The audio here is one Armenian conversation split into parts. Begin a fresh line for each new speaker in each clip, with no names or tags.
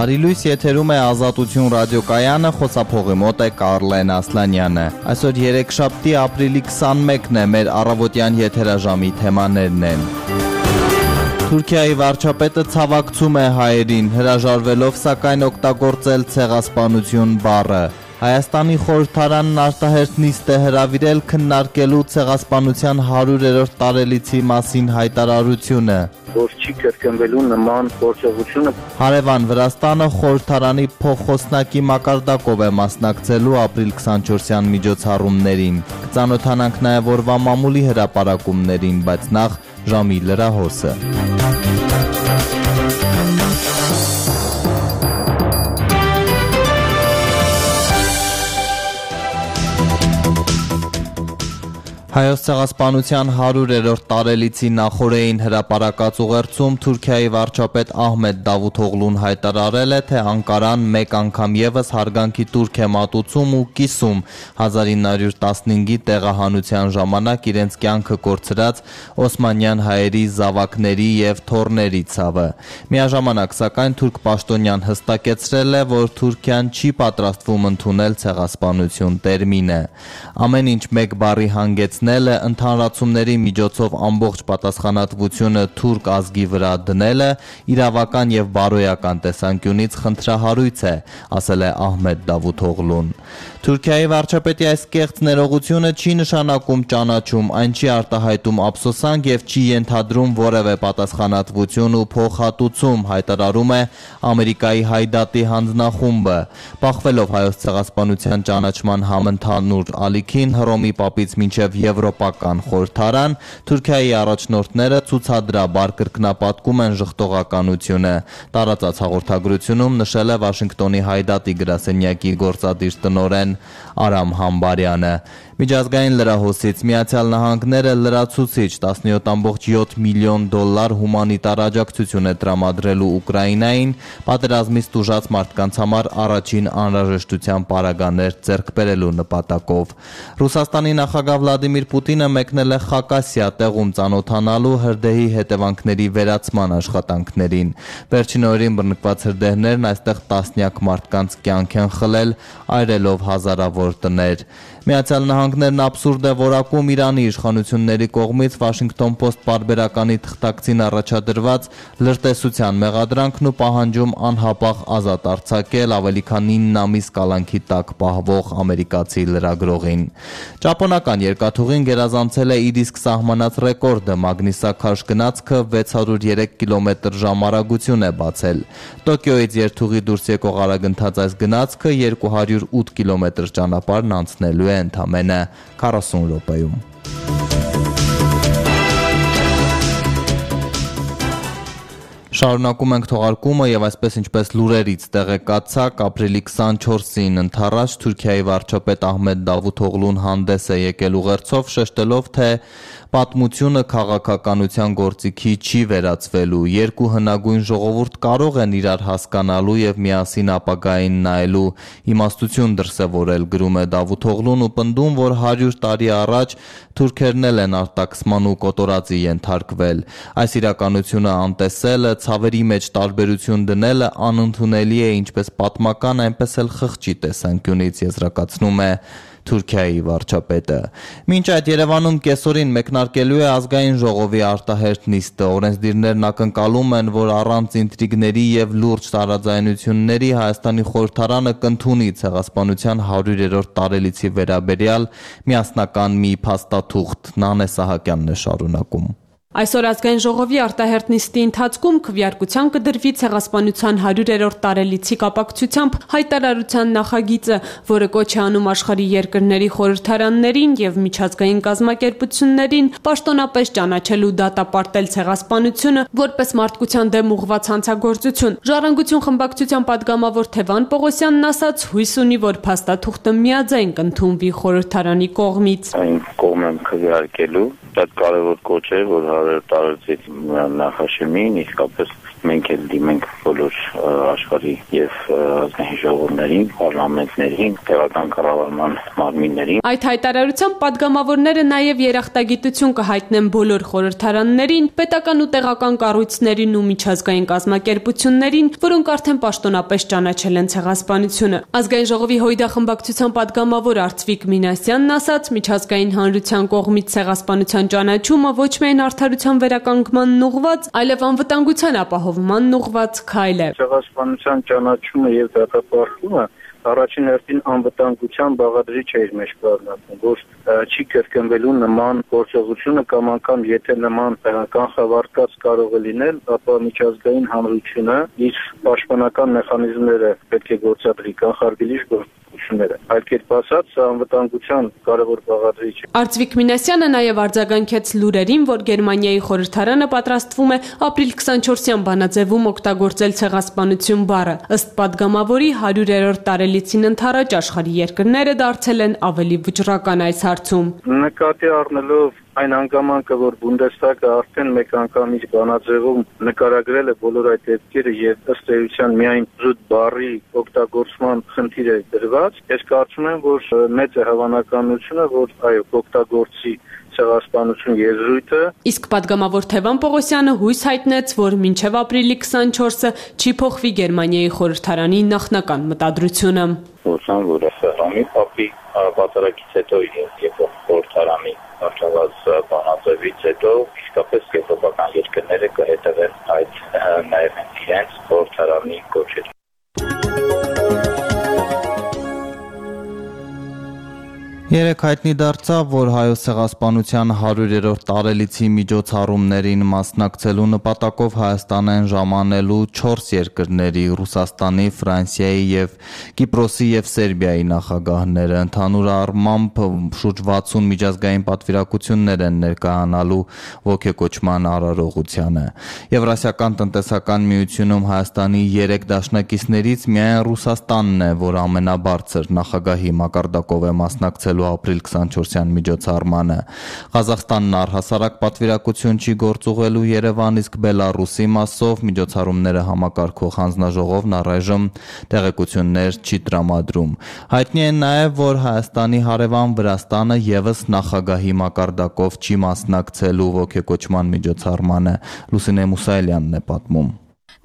Բարի լույս, եթերում է Ազատություն ռադիոկայանը, խոսափողի մոտ է Կարլեն Ասլանյանը։ Այսօր երեքշաբթի ապրիլի 21-ն է, մեր առավոտյան եթերաժամի թեմաներն են։ Թուրքիայի վարչապետը ցավակցում է հայերին, հրաժարվելով սակայն օգտագործել ցեղասպանություն բառը։ Հայաստանի խորհրդարանն արտահերթ նիստ է հրավիրել քննարկելու ցեղասպանության 100-րդ տարելիցի մասին հայտարարությունը։
Որ չի կրկնվելու նման գործողությունը։
Հարևան Վրաստանը խորհրդարանի փոխխոսնակի մակարդակով է մասնակցելու ապրիլ 24-յան միջոցառումներին։ Կծանոթանանք նաև օրվա մամուլի հրապարակումներին, բայց նախ ժամի լրահոսը։ Հայոց ցեղասպանության 100-րդ տարելիցի նախօրեին հրապարակած ուղերձում Թուրքիայի վարչապետ Ահմեդ Դավութօղլուն հայտարարել է, թե Անկարան մեկ անգամ ևս հարգանքի տուրք է մատուցում ու կիսում 1915-ի տեղահանության ժամանակ իրենց կյանքը կորցրած օսմանյան հայերի զավակների և թոռների ցավը։ Միաժամանակ, սակայն թուրք պաշտոնյան հստակեցրել է, որ Թուրքիան չի պատրաստվում ընդունել ցեղասպանություն տերմինը։ Ամեն ինչ մեկ բառի հանգեցնել ընդհանրացումների միջոցով ամբողջ պատասխանատվությունը թուրք ազգի վրա դնելը իրավական եւ բարոյական տեսանկյունից խնդրահարույց է, ասել է Ահմեդ Դավութօղլուն։ Թուրքիայի վարչապետի այս կեղծ ներողությունը չի նշանակում ճանաչում, այն չի արտահայտում ափսոսանք եւ չի ենթադրում որևէ պատասխանատվություն ու փոխհատուցում, հայտարարում է Ամերիկայի Հայդատի հանձնախումբը։ Բախվելով հայոց ցեղասպանության ճանաչման համընդհանուր ալիքին Հռոմի պապից մինչև Եվրոպական խորհրդարան, Թուրքիայի առաջնորդները ցուցադրաբար կրկնապատկում են ժխտողականությունը։ Տարածած հաղորդագրությունում նշել է Վաշինգտոնի Հայդատի գրասենյակի գործադիր տնօրեն Արամ Համբարյանը։ Միջազգային լրահոսից Միացյալ Նահանգները լրացուցիչ 17.7 միլիոն դոլար հումանիտար աջակցություն է տրամադրելու Ուկրաինային, պատերազմից տուժած մարդկանց համար առաջին անհրաժեշտության պարագաներ ձեռք բերելու նպատակով։ Ռուսաստանի նախագահ Վլադիմիր Պուտինը մեկնել է Խակասիա տեղում ծանոթանալու հրդեհի հետևանքների վերացման աշխատանքներին։ Վերջին օրերին բռնկված հրդեհներն այստեղ տասնյակ մարդկանց կյանք են խլել, այրելով հազարավոր տներ։ Միացյալ Նահանգներն աբսուրդ է որակում Իրանի իշխանությունների կողմից Washington Post պարբերականի թղթակցին առաջադրված լրտեսության մեղադրանքն ու պահանջում անհապաղ ազատ արձակել ավելի քան 9 ամիս կալանքի տակ պահվող ամերիկացի լրագրողին։ Ճապոնական երկաթուղին գերազանցել է իր իսկ սահմանած ռեկորդը, մագնիսաքարշ գնացքը 603 կմ/ժ արագություն է բացել։ Տոկիոյից երթուղի դուրս եկող արագընթաց այս գնացքը 208 կմ ճանապարհն անցնելու է ընդամենը 40 րոպեում։ Շարունակում ենք թողարկումը եւ այսպես ինչպես լուրերից տեղեկացաք, ապրիլի 24-ին ընթառաջ Թուրքիայի վարչապետ Ահմեդ Դավութօղլուն հանդես է եկել ուղերձով, շեշտելով, թե պատմությունը քաղաքականության գործիքի չի վերածվելու։ Երկու հնագույն ժողովուրդ կարող են իրար հասկանալու եւ միասին ապագային նայելու իմաստություն դրսևորել, գրում է Դավութօղլուն ու պնդում, որ 100 տարի առաջ թուրքերն են արտաքսման ու կոտորածի ենթարկվել։ Այս իրականությունը անտեսելը, ցավերի մեջ տարբերություն դնելը անընդունելի է ինչպես պատմական, այնպես էլ խղճի տեսանկյունից, եզրակացնում է Թուրքիայի վարչապետը։ Մինչ այդ Երևանում կեսօրին մեկնարկելու է ազգային ժողովի արտահերթ նիստը։ Օրենսդիրներն ակնկալում են, որ առանց ինտրիգների եւ լուրջ տարաձայնությունների Հայաստանի խորհրդարանը կընդունի ցեղասպանության 100-րդ տարելիցի վերաբերյալ միասնական մի փաստաթուղթ։ Նանե Սահակյանն է շարունակում։
Այսօր ազգային ժողովի արտահերթ նիստի ընթացքում քվեարկության կդրվի ցեղասպանության 100-րդ տարելիցի կապակցությամբ հայտարարության նախագիծը, որը կոչ է անում աշխարհի երկրների խորհրդարաններին եւ միջազգային կազմակերպություններին պաշտոնապես ճանաչել ու դատապարտել ցեղասպանությունը որպես մարդկության դեմ ուղղված հանցագործություն։ Ժառանգություն խմբակցության падգամավոր Թևան Պողոսյանն ասաց, հույս ունի, որ փաստաթուղթը միաձայն կընդունվի խորհրդարանի կողմից։
Այն կողմ եմ քվեարկելու, շատ կարևոր կոչ է, որ տարածից նախաշեմին իսկապես մենք էլ դիմենք բոլոր աշխարհի եւ ազգային ժողովներին, պարլամենտներին, տեղական կառավարման մարմիններին։
Այդ հայտարարությամբ падգամավորները նաև երախտագիտություն կհայտնեն բոլոր խորհրդարաններին, պետական ու տեղական կառույցներին ու միջազգային կազմակերպություններին, որոնք արդեն պաշտոնապես ճանաչել են ցեղասպանությունը։ Ազգային ժողովի հույդախմբակցության падգամավոր Արծվիկ Մինասյանն ասաց, միջազգային հանրության կողմից ցեղասպանության ճանաչումը ոչ միայն արդարության վերականգնմանն ուղղված, այլև անվտանգության ապահովմանն ուղղված քայլ է։
Ցեղասպանության ճանաչումը եւ դատապարտումը առաջին հերթին անվտանգության բաղադրիչ է իր մեջ կազմում, որ չի կրկնվելու նման գործողությունը կամ անգամ եթե նման կանխավարկած կարող է լինել, ապա միջազգային հանրությունը իր պաշտպանական մեխանիզմները պետք է գործադրի կանխարգելիչ գործողությունները։ Այլ կերպ ասած, սա անվտանգության կարևոր բաղադրիչ է։
Արծվիկ Մինասյանը նաև արձագանքեց լուրերին, որ Գերմանիայի խորհրդարանը պատրաստվում է ապրիլ 24-յան բանաձևում օգտագործել ցեղասպանություն բառը։ Ըստ падգամավորի 100-րդ տարելիցին ընդառաջ աշխարհի երկրները դարձել են ավելի վճռական այս հարցում։
Նկատի առնելով այն հանգամանքը, որ Բունդեսթագը արդեն մեկ անգամ իր բանաձևում նկարագրել է բոլոր այդ դեպքերը եւ ըստ էության միայն զուտ բառի օգտագործման խնդիր է դրված, ես կարծում եմ, որ մեծ է հավանականությունը, որ այո, օգտագործի ցեղասպանություն եզրույթը։ Իսկ
падգամավոր Թևան Պողոսյանը հույս հայտնեց, որ մինչև ապրիլի 24-ը չի փոխվի Գերմանիայի խորհրդարանի նախնական մտադրությունը։
Ուսան, որ Ռամի Պապի պատերազմից հետո եւ խորհրդարանի արժանված բանաձևից հետո իսկապես եվրոպական երկրները կհետևեն այդ նաեւ իրենց խորհրդարանի կոչերին։
Երեկ հայտնի դարձավ, որ հայոց ցեղասպանության 100-րդ տարելիցի միջոցառումներին մասնակցելու նպատակով Հայաստան են ժամանելու 4 երկրների՝ Ռուսաստանի, Ֆրանսիայի եւ Կիպրոսի եւ Սերբիայի նախագահները։ Ընդհանուր առմամբ շուրջ 60 միջազգային պատվիրակություններ են ներկայանալու ոգեկոչման արարողությանը։ Եվրասիական տնտեսական միությունում Հայաստանի 3 դաշնակիցներից միայն Ռուսաստանն է, որ ամենաբարձր նախագահի մակարդակով է մասնակցելու ապրիլ 24-յան միջոցառմանը։ Ղազախստանն առհասարակ պատվիրակություն չի գործուղելու Երևան, իսկ Բելարուսի մասով միջոցառումները համակարգող հանձնաժողովն առայժմ տեղեկություններ չի տրամադրում։ Հայտնի է նաև, որ Հայաստանի հարևան Վրաստանը եւս նախագահի մակարդակով չի մասնակցելու ոգեկոչման միջոցառմանը։ Լուսինե Մուսայելյանն է պատմում։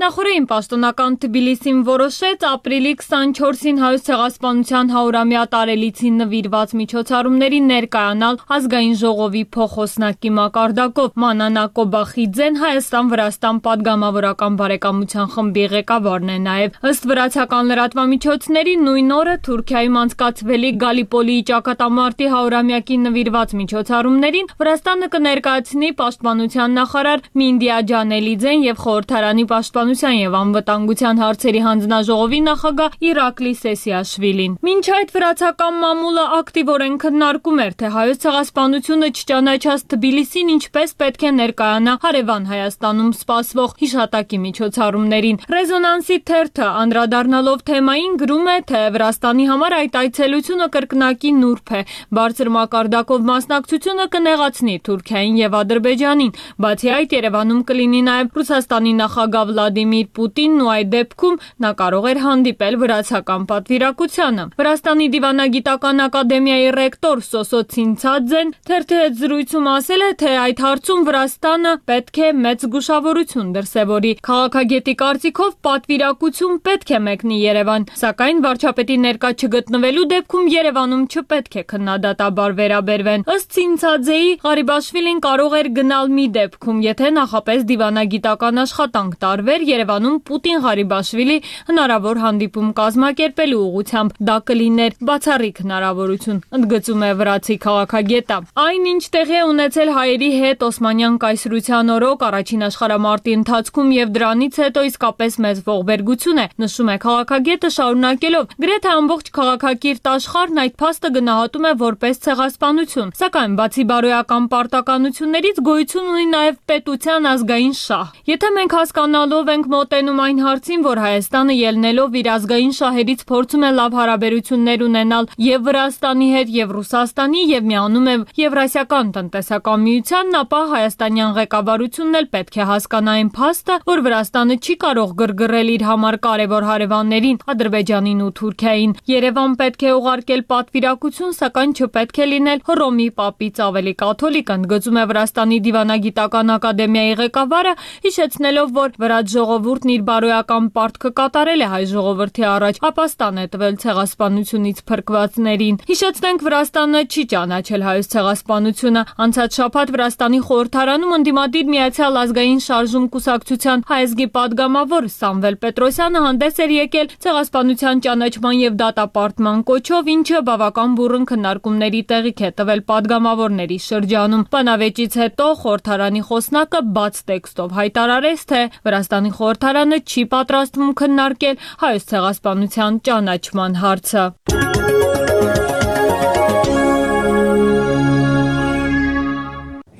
Նախորդին պաշտոնական Թբիլիսին որոշեց ապրիլի 24-ին հայոց ցեղասպանության 100-ամյա տարելիցին նվիրված միջոցառումների ներկայանալ ազգային ժողովի փոխոսնակի մակարդակով։ Մանանա Կոբախիձեն Հայաստան-Վրաստան падգամավորական բարեկամության խմբի ղեկավարն է նաև։ Ըստ վրացական լրատվամիջոցների նույն օրը Թուրքիայում անցկացվելիք Գալիպոլիի ճակատամարտի 100-ամյակին նվիրված միջոցառումներին Վրաստանը կներկայացնի պաշտպանության նախարար Մինդիա Ջանելիձեն եւ խորհրդարանի պաշտպանության եւ անվտանգության հարցերի հանձնաժողովի նախագահ Իրակլի Սեսիաշվիլին։ Մինչ այդ վրացական մամուլը ակտիվորեն քննարկում էր, թե հայոց ցեղասպանությունը չճանաչած Թբիլիսին ինչպես պետք է ներկայանա հարևան Հայաստանում սպասվող հիշատակի միջոցառումներին։ Ռեզոնանսի թերթը անդրադառնալով թեմային գրում է, թե Վրաստանի համար այդ այցելությունը կրկնակի նուրբ է։ Բարձր մակարդակով մասնակցությունը կնեղացնի Թուրքիային եւ Ադրբեջանին։ Բացի այդ, Երևանում կլինի նաեւ Ռուսաստանի նախագահ Վլադիմիր Պուտինն ու այդ դեպքում նա կարող էր հանդիպել վրացական պատվիրակությանը։ Վրաստանի դիվանագիտական ակադեմիայի ռեկտոր Սոսո Ցինցաձեն թերթի հետ զրույցում ասել է, թե այդ հարցում Վրաստանը պետք է մեծ զգուշավորություն դրսևորի։ Քաղաքագետի կարծիքով պատվիրակություն պետք է մեկնի Երևան, սակայն վարչապետի ներկա չգտնվելու դեպքում Երևանում չպետք է քննադատաբար վերաբերվեն։ Ըստ Ցինցաձեի Ղարիբաշվիլին կարող էր գնալ մի դեպքում, եթե նախապես դիվանագիտական աշխատանք տարվեր Երևանում Պուտին-Ղարիբաշվիլի հնարավոր հանդիպում կազմակերպելու ուղղությամբ։ Դա կլիներ բացառիկ հնարավորություն, ընդգծում է վրացի քաղաքագետը։ Այն, ինչ տեղի է ունեցել հայերի հետ Օսմանյան կայսրության օրոք առաջին աշխարհամարտի ընթացքում եւ դրանից հետո իսկապես մեծ ողբերգություն է, նշում է քաղաքագետը շարունակելով. գրեթե ամբողջ քաղաքակիրթ աշխարհն այդ փաստը գնահատում է որպես ցեղասպանություն, սակայն բացի բարոյական պարտականություններից գոյություն ունի նաեւ պետության ազգային շահ։ Եթե մենք հասկանալով ենք ենք մոտենում այն հարցին, որ Հայաստանը ելնելով իր ազգային շահերից փորձում է լավ հարաբերություններ ունենալ եւ Վրաստանի հետ, եւ Ռուսաստանի, եւ միանում է Եվրասիական տնտեսական միությանն, ապա հայաստանյան ղեկավարությունն էլ պետք է հասկանա այն փաստը, որ Վրաստանը չի կարող գրգռել իր համար կարևոր հարևաններին Ադրբեջանին ու Թուրքիային։ Երևան պետք է ուղարկել պատվիրակություն, սակայն չպետք է լինել Հռոմի պապից ավելի կաթոլիկ, ընդգծում է Վրաստանի դիվանագիտական ակադեմիայի ղեկավարը, հիշեցնելով, որ վրաց ժողովուրդն իր բարոյական պարտքը կատարել է հայ ժողովրդի առաջ, ապաստան է տվել ցեղասպանությունից փրկվածներին։ Հիշեցնենք, Վրաստանը չի ճանաչել հայոց ցեղասպանությունը։ Անցած շաբաթ Վրաստանի խորհրդարանում ընդդիմադիր Միացյալ ազգային շարժում կուսակցության հայազգի падգամավոր Սամվել Պետրոսյանը հանդես էր եկել ցեղասպանության ճանաչման եւ դատապարտման կոչով, ինչը բավական բուռն քննարկումների տեղիք է տվել падգամավորների շրջանում։ Բանավեճից հետո խորհրդարանի խոսնակը բաց տեքստով հայտարարեց, թե Վրաստանի խորհրդարանը չի պատրաստվում քննարկել հայոց ցեղասպանության ճանաչման հարցը։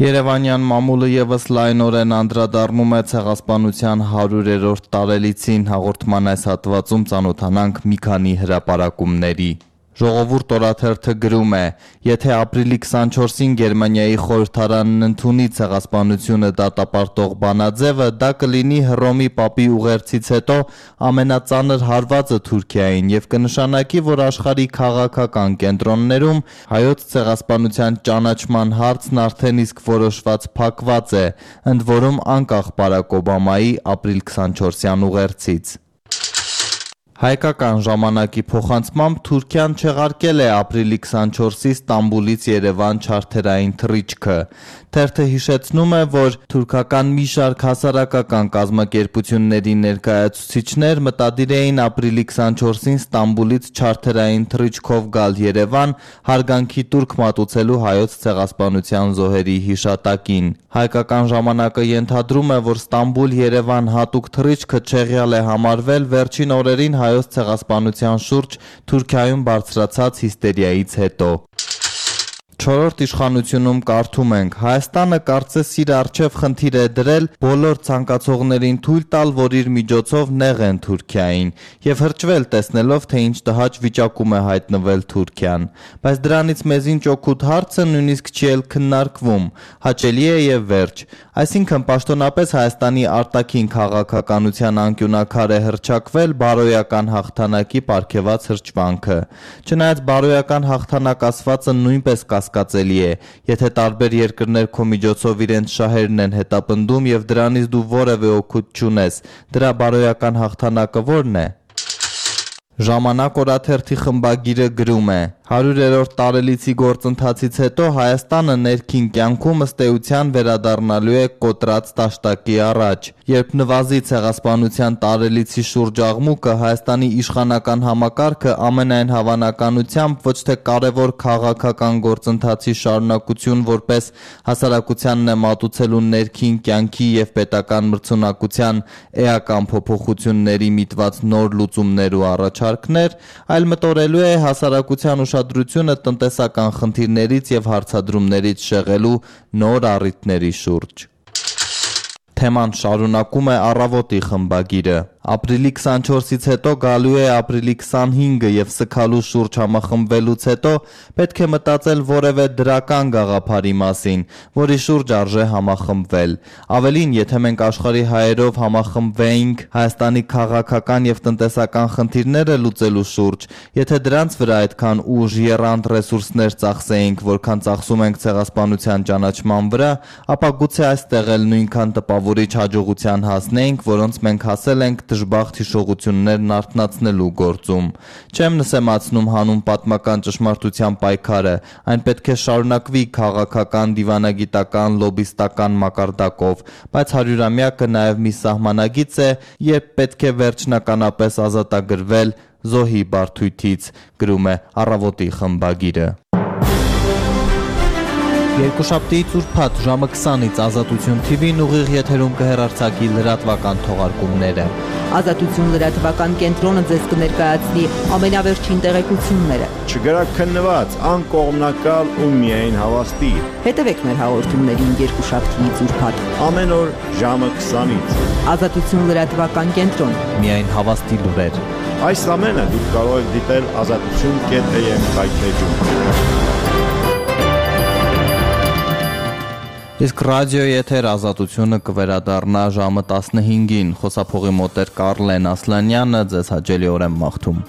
Երևանյան մամուլը եւս լայնորեն անդրադառնում է ցեղասպանության 100-րդ տարելիցին, հաղորդման այս հատվածում ծանոթանանք մի քանի հրապարակումների։ Ժողովուրդ օրաթերթը գրում է. եթե ապրիլի 24-ին Գերմանիայի խորհրդարանն ընդունի ցեղասպանությունը դատապարտող բանաձևը, դա կլինի Հռոմի պապի ուղերձից հետո ամենածանր հարվածը Թուրքիային եւ կնշանակի, որ աշխարհի քաղաքական կենտրոններում հայոց ցեղասպանության ճանաչման հարցն արդեն իսկ որոշված փակված է, ընդ որում անկախ Բարակ Օբամայի ապրիլ 24-յան ուղերձից։ Հայկական ժամանակի փոխանցմամբ Թուրքիան չեղարկել է ապրիլի 24-ի Ստամբուլից Երևան չարթերային թռիչքը։ Թերթը հիշեցնում է, որ թուրքական մի շարք հասարակական կազմակերպությունների ներկայացուցիչներ մտադիր էին ապրիլի 24-ին Ստամբուլից չարթերային թռիչքով գալ Երևան հարգանքի տուրք մատուցելու հայոց ցեղասպանության զոհերի հիշատակին։ Հայկական ժամանակը ենթադրում է, որ Ստամբուլ-Երևան հատուկ թռիչքը չեղյալ է համարվել վերջին օրերին հայոց ցեղասպանության շուրջ Թուրքիայում բարձրացած հիստերիայից հետո։ Չորրորդ իշխանությունում կարդում ենք. Հայաստանը կարծես իր առջև խնդիր է դրել բոլոր ցանկացողներին թույլ տալ, որ իր միջոցով նեղեն Թուրքիային եւ հրճվել տեսնելով, թե ինչ տհաճ վիճակում է հայտնվել Թուրքիան։ Բայց դրանից մեզին ճոքուտ հարցը նույնիսկ չի էլ քննարկվում, հաճելի է եւ վերջ։ Այսինքն պաշտոնապես Հայաստանի արտաքին քաղաքականության անկյունակար է հրճակվել բարոյական հաղթանակի պարգևած հրճվանքը։ Չնայած բարոյական հաղթանակ ասվածը նույնպես կասկածելի է, եթե տարբեր երկրներ քո միջոցով իրենց շահերն են հետապնդում եւ դրանից դու որևէ օգուտ չունես, դրա բարոյական հաղթանակը ո՞րն է։ Ժամանակ օրաթերթի խմբագիրը գրում է. 100-րդ տարելիցի գործընթացից հետո Հայաստանը ներքին կյանքում ըստ էության վերադառնալու է կոտրած տաշտակի առաջ։ Երբ նվազի ցեղասպանության տարելիցի շուրջ աղմուկը, Հայաստանի իշխանական համակարգը ամենայն հավանականությամբ ոչ թե կարևոր քաղաքական գործընթացի շարունակություն որպես հասարակությանն է մատուցելու ներքին կյանքի եւ պետական մրցունակության էական փոփոխությունների միտված նոր լուծումներ ու առաջարկներ, այլ մտորելու է հասարակության ուշադրությունը տնտեսական խնդիրներից եւ հարցադրումներից շեղելու նոր առիթների շուրջ։ Թեման շարունակում է Առավոտի խմբագիրը։ Ապրիլի 24-ից հետո գալու է ապրիլի 25-ը եւ սգալու շուրջ համախմբվելուց հետո պետք է մտածել որևէ դրական գաղափարի մասին, որի շուրջ արժե համախմբվել։ Ավելին, եթե մենք աշխարհի հայերով համախմբվեինք Հայաստանի քաղաքական եւ տնտեսական խնդիրները լուծելու շուրջ, եթե դրանց վրա այդքան ուժ, եռանդ ռեսուրսներ ծախսեինք, որքան ծախսում ենք ցեղասպանության ճանաչման վրա, ապա գուցե այստեղ էլ նույնքան տպավորիչ հաջողության հասնեինք, որոնց մենք հասել ենք դժբախտ հիշողություններն արթնացնելու գործում։ Չեմ նսեմացնում հանուն պատմական ճշմարտության պայքարը, այն պետք է շարունակվի քաղաքական, դիվանագիտական, լոբիստական մակարդակով, բայց 100-ամյակը նաև մի սահմանագիծ է, երբ պետք է վերջնականապես ազատագրվել զոհի բարդույթից, գրում է Առավոտի խմբագիրը։ Երկուշաբթի ծուրփաթ ժամը 20-ից Ազատություն TV-ն ուղիղ եթերում կհեռարձակի լրատվական թողարկումները։
Ազատություն լրատվական կենտրոնը ձեզ կներկայացնի ամենավերջին տեղեկությունները։
Չգրակ քննված, անկողմնակալ ու միայն հավաստի։
Հետևեք մեր հաղորդումներին երկուշաբթի ծուրփաթ։
Ամեն օր ժամը 20-ից։
Ազատություն լրատվական կենտրոն։
Միայն հավաստի լուրեր։
Այս ամենը դուք կարող եք դիտել azatutun.am հայթեջում։
Իսկ ռադիոյի եթեր Ազատությունը կվերադառնա ժամը 15-ին։ Խոսափողի մոտ էր Կարլեն Ասլանյանը, ձեզ հաճելի օր եմ մաղթում։